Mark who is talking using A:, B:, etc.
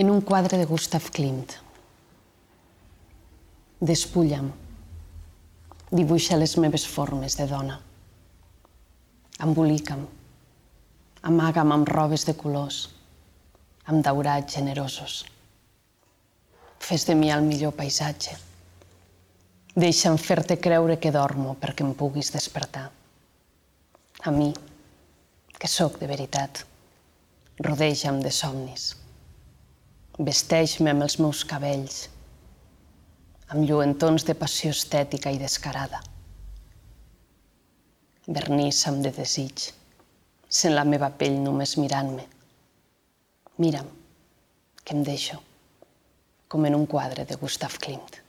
A: en un quadre de Gustav Klimt. Despulla'm, dibuixa les meves formes de dona. Embolica'm, amaga'm amb robes de colors, amb daurats generosos. Fes de mi el millor paisatge. Deixa'm fer-te creure que dormo perquè em puguis despertar. A mi, que sóc de veritat, rodeja'm de somnis. Vesteix-me amb els meus cabells, amb lluentons de passió estètica i descarada. Vernissa'm de desig, sent la meva pell només mirant-me. Mira'm, que em deixo, com en un quadre de Gustav Klimt.